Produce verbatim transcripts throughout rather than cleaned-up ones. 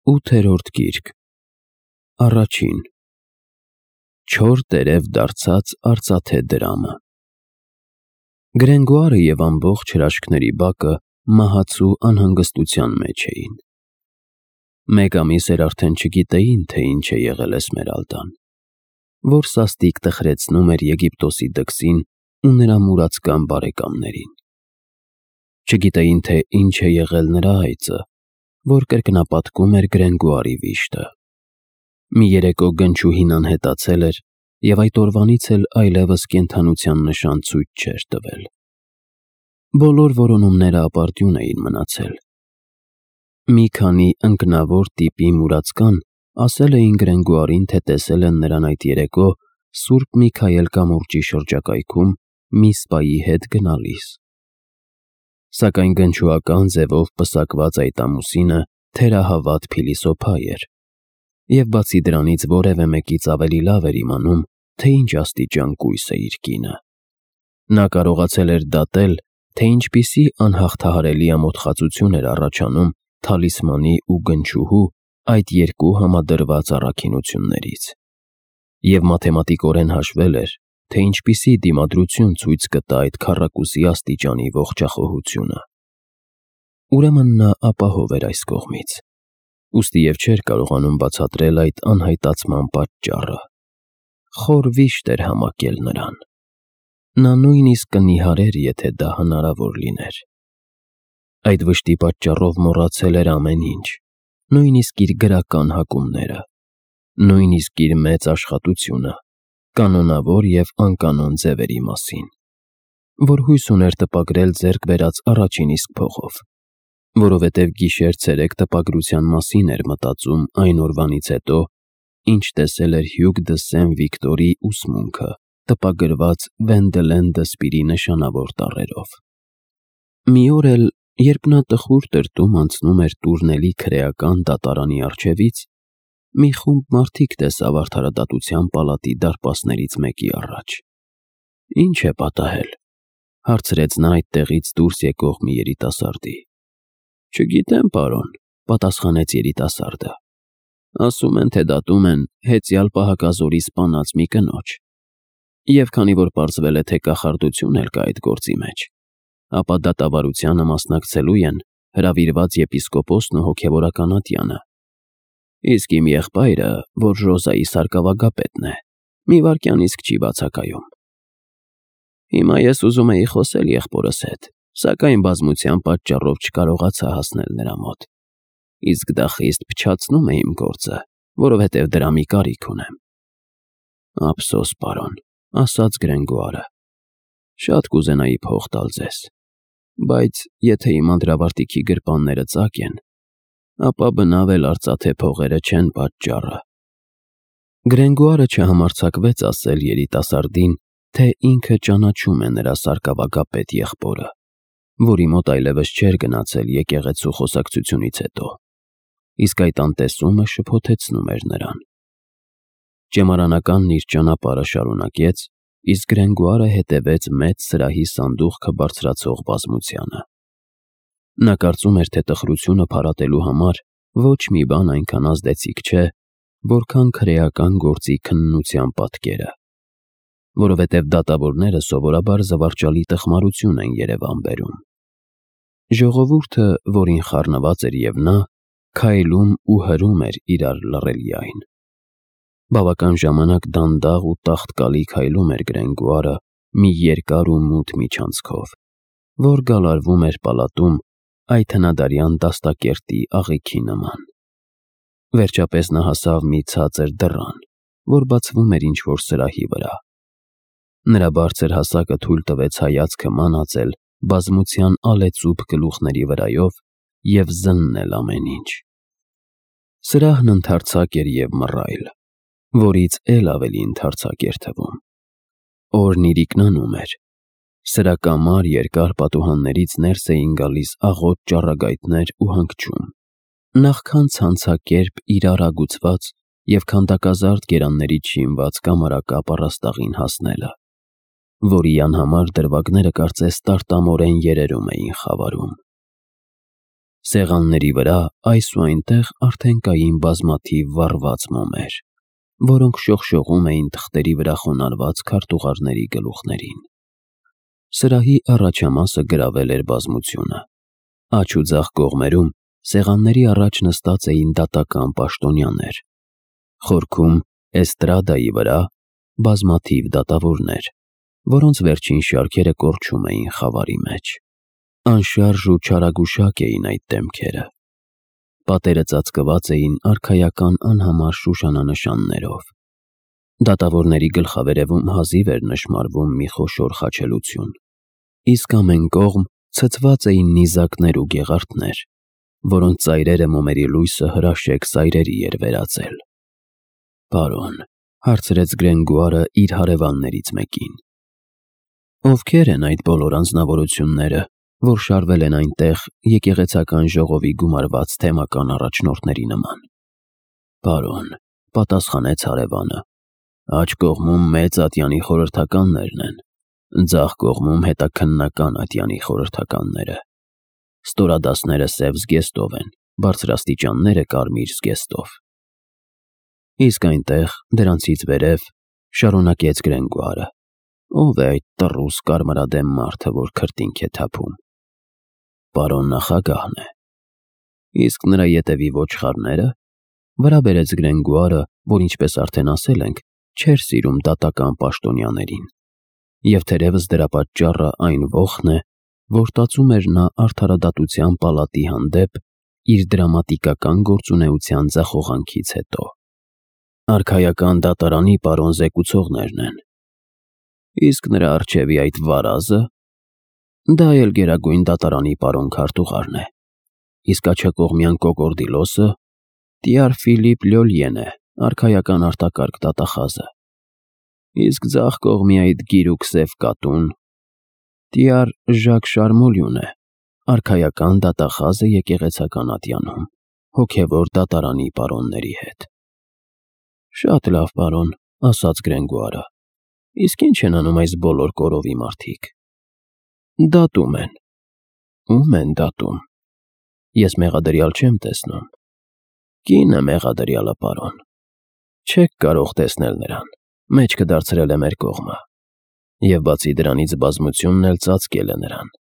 Ութերորդ գիրք, առաջին, չոր տերև դարձած արծաթե դրամը։ Գրենգոարը և ամբողջ հրաշքների բակը մահացու անհանգստության մեջ էին։ Մեկ ամիս էր արդեն չգիտեին, թե ինչ է եղել Էսմերալդան, որ սաստիկ տխրեցնում էր Եգիպտոսի դքսին ու նրա մուրացկան բարեկամներին։ Չգիտեին, թե ինչ է եղել նրա այծը, որ կրկնապատկում էր Գրենգոարի վիշտը։ Մի երեկո գնչուհին անհետացել էր և այդ օրվանից էլ այլևս կենդանության նշան ցույց չէր տվել։ Բոլոր որոնումները ապարդյուն էին մնացել։ Մի քանի ընկնավոր տիպի մուրացկան ասել էին Գրենգոարին, թե տեսել են նրան այդ երեկո Սուրբ Միքայել կամուրջի շրջակայքում մի սպայի հետ գնալիս։ Սակայն գնչուական ձևով պսակված այդ ամուսինը թերահավատ փիլիսոփա էր, և բացի դրանից որևէ մեկից ավելի լավ էր իմանում, թե ինչ աստիճան կույս է իր կինը։ Նա կարողացել էր դատել, թե ինչպիսի անհաղթահարելի ամոթխածություն էր առաջանում թալիսմանի ու գնչուհու այդ երկու համադրված առաքինություններից, և մաթեմատիկորեն հաշվել էր, թե ինչպիսի դիմադրություն ցույց կտա այդ քառակուսի աստիճանի ողջախոհությունը։ Ուրեմն նա ապահով էր այս կողմից, ուստի և չէր կարողանում բացատրել այդ անհայտացման պատճառը։ Խոր վիշտ էր համակել նրան։ Նա նույնիսկ կնիհարեր, եթե դա հնարավոր լիներ։ Այդ վշտի պատճառով մոռացել էր ամեն ինչ, նույնիսկ իր գրական հակումները, նույնիսկ իր մեծ աշխատությունը կանոնավոր և անկանոն ձևերի մասին, որ հույս ուներ տպագրել ձեռք բերած առաջին իսկ փողով, որովհետև գիշեր-ցերեկ տպագրության մասին էր մտածում այն օրվանից հետո, ինչ տեսել էր Հյուգ դը Սեն֊Վիկտորի ուսմունքը տպագրված Վենդելեն Դսպիրի նշանավոր տառերով։ Մի օր էլ, երբ նա տխուր տրտում անցնում էր Տուրնելի քրեական դատարանի առջևից, մի խումբ մարդիկ տեսավ արդարադատության պալատի դարպասներից մեկի առաջ։ «Ինչ է պատահել», հարցրեց նա այդտեղից դուրս եկող մի երիտասարդի։ «Չգիտեմ, պարոն», պատասխանեց երիտասարդը։ «Ասում են, թե դատում են հեծյալ պահակազորի սպանած մի կնոջ, և քանի որ պարզվել է, թե կախարդություն էլ կա այդ գործի մեջ, ապա դատավարությանը մասնակցելու են հրավիրված եպիսկոպոսն ու հոգևորական ատյանը։ Իսկ իմ եղբայրը, որ Ժոզայի սարկավագապետն է, մի վայրկյան իսկ չի բացակայում։ Հիմա ես ուզում էի խոսել եղբորս հետ, սակայն բազմության պատճառով չկարողացա հասնել նրա մոտ, իսկ դա խիստ փչացնում է իմ գործը, որովհետև դրա մի կարիք ունեմ»։ «Ափսոս, պարոն», ասաց Գրենգոարը, «շատ կուզենայի փող տալ ձեզ, բայց եթե իմ անդրավարտիքի գրպանները ծակ են, ապա բնավ էլ արծաթե փողերը չեն պատճառը»։ Գրենգոարը չհամարձակվեց ասել երիտասարդին, թե ինքը ճանաչում է նրա սարկավագապետ եղբորը, որի մոտ այլևս չէր գնացել եկեղեցու խոսակցությունից հետո, իսկ այդ անտեսումը շփոթեցնում էր նրան։ Ճեմարանականն իր ճանապարհը շարունակեց, իսկ Գրենգոարը հետևեց մեծ սրահի սանդուղքը բարձրացող բազմությանը։ Նա կարծում էր, թե տխրությունը փարատելու համար ոչ մի բան այնքան ազդեցիկ չէ, որքան քրեական գործի քննության պատկերը, որովհետև դատավորները սովորաբար զվարճալի տխմարություն են երևան բերում։ Ժողովուրդը, որին խառնված էր և նա, քայլում ու հրում էր իրար լռելիայն։ Բավական ժամանակ դանդաղ ու տաղտկալի քայլում էր Գրենգոարը մի երկար ու մութ միջանցքով, որ գալարվում էր պալատում այդ հնադարյան դաստակերտի աղիքի նման։ Վերջապես նա հասավ մի ցածր դռան, որ բացվում էր ինչ-որ սրահի վրա։ Նրա բարձր հասակը թույլ տվեց հայացքը մանածել բազմության ալեծուփ գլուխների վրայով և զննել ամեն ինչ։ Սրահն ընդարձակ էր և մռայլ, որից էլ ավելի ընդարձակ էր թվում։ Օրն իրիկնանում էր։ Սրակամար երկար պատուհաններից ներս էին գալիս աղոտ ճառագայթներ ու հանգչում, նախքան ցանցակերպ իրար ագուցված և քանդակազարդ գերաններից շինված կամարակապ առաստաղին հասնելը, որի անհամար դրվագները կարծես տարտամորեն երերում էին խավարում։ Սեղանների վրա այս ու այնտեղ արդեն կային բազմաթիվ վառված մոմեր, որոնք շողշողում էին թղթերի վրա խոնարհված քարտուղարների գլուխներին։ Սրահի առաջամասը գրավել էր բազմությունը։ Աջ ու ձախ կողմերում սեղանների առաջ նստած էին դատական պաշտոնյաներ։ Խորքում, էստրադայի վրա, բազմաթիվ դատավորներ, որոնց վերջին շարքերը կորչում էին խավարի մեջ։ Անշարժ ու չարագուշակ էին այդ դեմքերը։ Պատերը ծածկված էին արքայական անհամար շուշանանշաններով։ Դատավորների գլխավերևում հազիվ էր նշմարվում մի խոշոր խաչելություն, իսկ ամեն կողմ ցցված էին նիզակներ ու գեղարդներ, որոնց ծայրերը մոմերի լույսը հրաշեք սայրերի էր վերածել։ «Պարոն», հարցրեց Գրենգուարը իր հարևաններից մեկին, «ովքեր են այդ բոլոր անձնավորությունները, որ շարվել են այնտեղ եկեղեցական ժողովի գումարված թեմական առաջնորդների նման»։ «Պարոն», պատասխանեց հարևանը, «աջ կողմում մեծ ատյանի խորհրդականներն են, ձախ կողմում հետաքննական ատյանի խորհրդականները։ Ստորադասները սև զգեստով են, բարձրաստիճանները կարմիր զգեստով»։ «Իսկ այնտեղ, դրանցից վերև», շարունակեց Գրենգուարը, «ով է այդ տռուս կարմրադեմ մարդը, որ քրտինք է թափում»։ «Պարոն նախագահն է»։ «Իսկ նրա ետևի ոչխարները»։ Վրա բերեց Գրենգուարը, որ, ինչպես արդեն ասել ենք, չէր սիրում դատական պաշտոնյաներին, և թերևս դրա պատճառը այն ոխն է, որ տածում էր նա արդարադատության պալատի հանդեպ իր դրամատիկական գործունեության ձախողանքից հետո։ «Արքայական դատարանի պարոն զեկուցողներն են»։ «Իսկ նրա առջևի այդ վարազը»։ «Դա էլ Գերագույն դատարանի պարոն քարտուղարն է»։ «Իսկ աջակողմյան կոկորդիլոսը»։ «Տյար Ֆիլիպ Լյոլիեն է, արքայական արտակարգ դատախազը»։ «Իսկ ձախ կողմի այդ գիրուկ սև կատուն»։ «Տյար Ժակ Շարմոլյուն է, արքայական դատախազը եկեղեցական ատյանում, հոգևոր դատարանի պարոնների հետ»։ «Շատ լավ, պարոն», ասաց Գրենգուարը, «իսկ ի՞նչ են անում այս բոլոր կորովի մարդիկ»։ «Դատում են»։ «Ո՞ւմ են դատում»։ «Ես մեղադրյալ չեմ տեսնում»։ «Կինը մեղադրյալը, պարոն»։ «Չեք կարող տեսնել նրան, մեջքը դարձրել է մեր կողմը, և բացի դրանից բազմությունն էլ ծածկել է նրան»։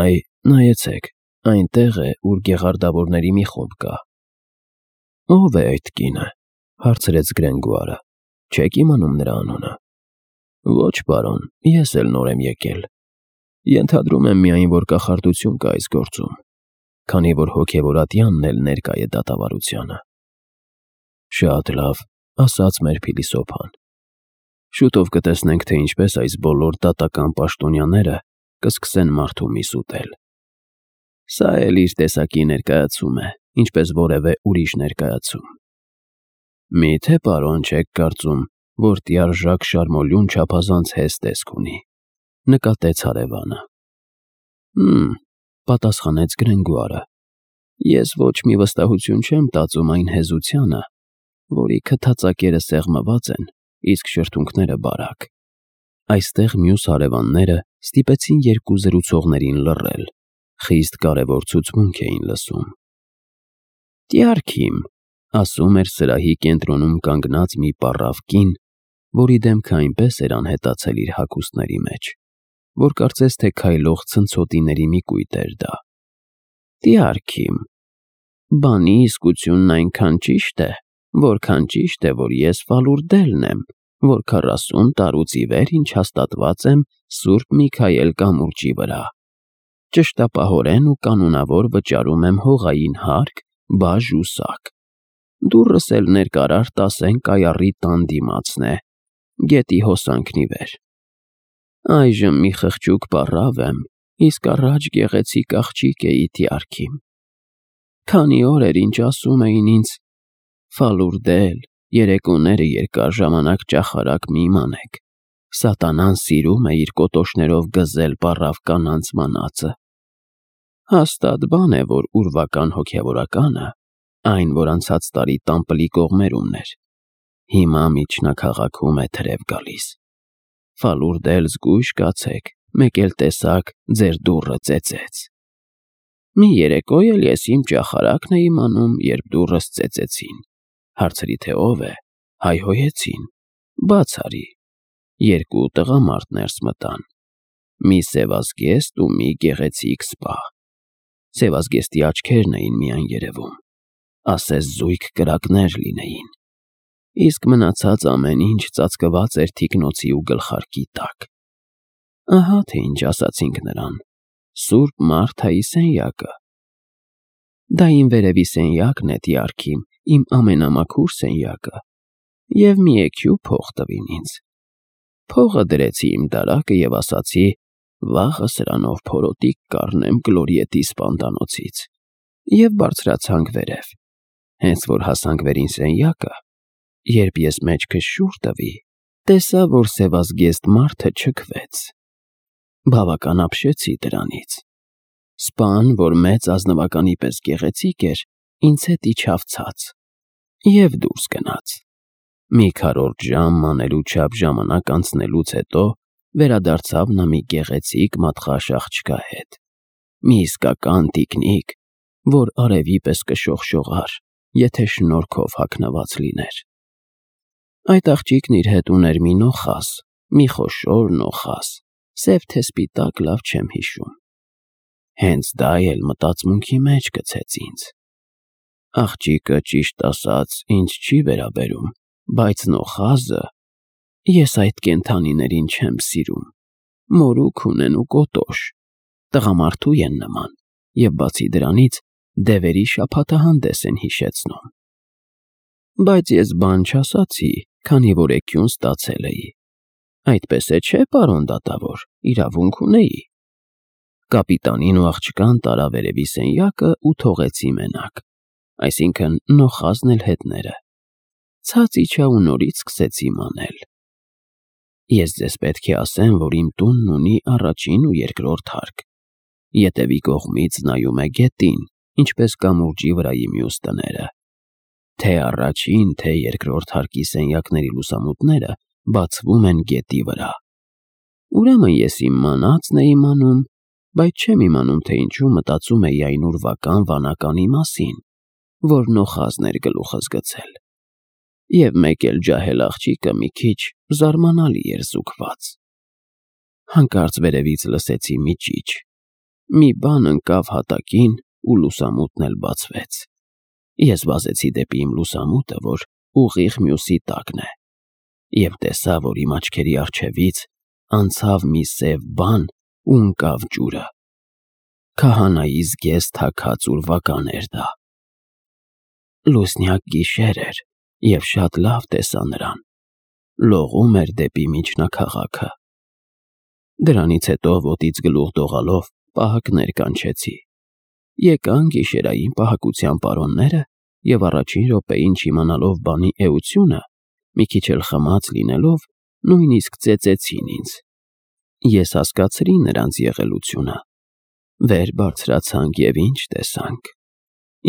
«Այ, նայեցեք, այնտեղ է, ուր գեղարդավորների մի խումբ կա»։ «Ո՞վ է այդ կինը», հարցրեց Գրենգուարը, «չեք իմանում նրա անունը»։ «Ոչ, պարոն, ես էլ նոր եմ եկել։ Ենթադրում եմ միայն, որ կախարդություն կա այս գործում, քանի որ հոգևոր ատյանն էլ ներկա է դատավարությանը»։ «Շատ լավ», ասաց մեր փիլիսոփան, «շուտով կտեսնենք, թե ինչպես այս բոլոր դատական պաշտոնյաները կսկսեն մարդու միս ուտել»։ «Սա էլ իր տեսակի ներկայացում է, ինչպես որևէ ուրիշ ներկայացում»։ «Մի՞թե, պարոն, չեք կարծում, որ տյար Ժակ Շարմոլյուն չափազանց հեզ տեսք ունի», նկատեց հարևանը։ «Հմ», պատասխանեց Գրենգուարը, «ես ոչ մի վստահություն չեմ տածում այն հեզությանը, որի քթածակերը սեղմված են, իսկ շրթունքները բարակ»։ Այստեղ մյուս հարևանները ստիպեցին երկու զրուցողներին լռել, խիստ կարևոր ցուցմունք էին լսում։ «Տյար Քիմ», ասում էր սրահի կենտրոնում կանգնած մի պառավ կին, որի դեմքը այնպես էր անհետացել իր հագուստների մեջ, որ կարծես թե քայլող ցնցոտիների մի կույտ էր դա։ «Տյար Քիմ, բանի իսկությունն այնքան ճիշտ է, որքան ճիշտ է, որ ես Ֆալուրդելն եմ, որ քառասուն տարուց ի վեր ինչ հաստատված եմ Սուրբ Միքայել կամուրջի վրա։ Ճշտապահորեն ու կանոնավոր վճարում եմ հողային հարկ, բաժ ու սակ։ Դուռս էլ ներկարար տասեն կայարի տան դիմացն է, գետի հոսանքն ի վեր։ Այժմ մի խղճուկ պառավ եմ, իսկ առաջ գեղեցիկ աղջիկ էի, Տյար Քիմ։ Քանի օր էր, ինչ ասում էին ինձ. «Ֆալուրդել, երեկոները երկար ժամանակ ճախարակ մի իմանեք, սատանան սիրում է իր կոտոշներով գզել պառավ կանանց մանածը»։ Հաստատ բան է, որ ուրվական հոգևորականը, այն, որ անցած տարի Տամպլի կողմերումն էր, հիմա միջնաքաղաքում է թրև գալիս։ Ֆալուրդել զգույշ կացեք, մեկ էլ տեսաք, ձեր դուռը ծեծեց։ Մի երեկո էլ ես իմ ճախարակն էի անում, երբ դուռս ծեծեցին, հարցրի թե ով է, հայհոյեցին, բաց արի, երկու տղամարդ ներս մտան, մի սևազգեստ ու մի գեղեցիկ սպա, սևազգեստի աչքերն էին միայն երևում, ասես զույգ կրակներ լինեին, իսկ մնացած ամեն ինչ ծածկված էր թիկնոցի ու գլխարկի տակ, ահա թե ինչ ասացինք նրան, Սուրբ Մարթայի սենյակը, դա իմ վերևի սենյակն է, տյարքիմ, իմ ամենամաքուր սենյակը, և մի էքյու փող տվին ինձ, փողը դրեցի իմ դարակը և ասացի, վաղը սրանով փորոտիք կառնեմ Գլորիետի սպանդանոցից, և բարձրացանք վերև, հենց որ հասանք վերին սենյակը, երբ ես մեջքս շուռ տվի, տեսա, որ սևազգեստ մարդը չքվեց, բավական ապշեցի դրանից, սպան, որ մեծ ազնվականի պես գեղեցիկ էր, ինձ հետ իջավ ցած և դուրս գնաց, մի քառորդ ժամ մանելու չափ ժամանակ անցնելուց հետո վերադարձավ նա մի գեղեցիկ մատղաշ աղջկա հետ, մի իսկական տիկնիկ, որ արևի պես կշողշողար, եթե շնորքով հագնված լիներ, այդ աղջիկն իր հետ ուներ մի նոխազ, մի խոշոր նոխազ, սև թե սպիտակ լավ չեմ հիշում, հենց դա էլ մտածմունքի մեջ գցեց ինձ, աղջիկը ճիշտ ասած ինձ չի վերաբերում, բայց նոխազը, ես այդ կենդանիներին չեմ սիրում, մորուք ունեն ու կոտոշ, տղամարդու են նման և բացի դրանից դևերի շաբաթահանդես են հիշեցնում, բայց ես բան չասացի, քանի որ էգյուն ստացել էի, այդպես է չէ, պարոն դատավոր, իրավունք ունեի, կապիտանին ու աղջկան տարա վերևի սենյակը ու թողեցի մենակ, այսինքն նոխազն էլ հետները, ցած իջա ու նորից սկսեցի մանել, ես ձեզ պետք է ասեմ, որ իմ տունն ունի առաջին ու երկրորդ հարկ, ետևի կողմից նայում է գետին, ինչպես կամուրջի վրայի մյուս տները, թե առաջին, թե երկրորդ հարկի սենյակների լուսամուտները բացվում են գետի վրա, ուրեմն ես իմ մանածն էի մանում, բայց չեմ իմանում, թե ինչու մտածում էի այն ուրվական վանականի մասին, որ նոխազն էր գլուխս գցել, և մեկ էլ ջահել աղջիկը մի քիչ զարմանալի էր զուգված, հանկարծ վերևից լսեցի մի ճիչ, մի բան ընկավ հատակին ու լուսամուտն էլ բացվեց, ես վազեցի դեպի իմ լուսամուտը, որ ուղիղ մյուսի տակն է, և տեսա, որ իմ աչքերի առջևից անցավ մի սև բան ու ընկավ ջուրը, քահանայի զգեստ թաքած ուրվական էր դա, լուսնյակ գիշեր էր և շատ լավ տեսա նրան, լողում էր դեպի միջնաքաղաքը, դրանից հետո ոտից գլուխ դողալով պահակներ կանչեցի, եկան գիշերային պահակության պարոնները և առաջին րոպեին չիմանալով բանի էությունը, մի քիչ էլ խմած լինելով, նույնիսկ ծեծեցին ինձ, ես հասկացրի նրանց եղելությունը, վեր բարձրացանք և ինչ տեսանք,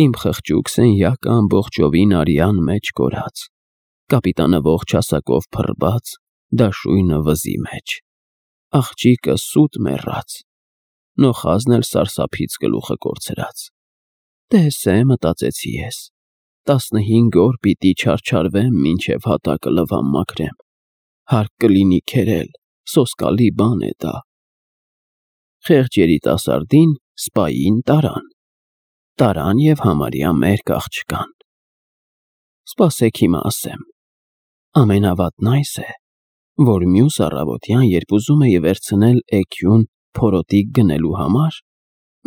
իմ խղճուկ սենյակը ամբողջովին արյան մեջ կորած, կապիտանը ողջ հասակով փռված, դաշույնը վզի մեջ, աղջիկը սուտ մեռած, նոխազն էլ սարսափից գլուխը կորցրած, տես է, մտածեցի ես, տասնհինգ օր պիտի չարչարվեմ, մինչև հատակը լվամ մաքրեմ, հարկ կլինի քերել, սոսկալի բան է դա, խեղճ երիտասարդին սպային տարան, տարան և համարյա մերկ աղջկան, սպասեք հիմա ասեմ, ամենավատն այս է, որ մյուս առավոտյան, երբ ուզում էի վերցնել էգյուն փորոտիք գնելու համար,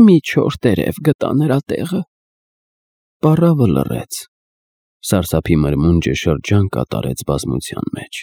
մի չոր տերև գտա նրա տեղը, պառավը լռեց, սարսափի մրմունջը շրջան կատարեց բազմության մեջ,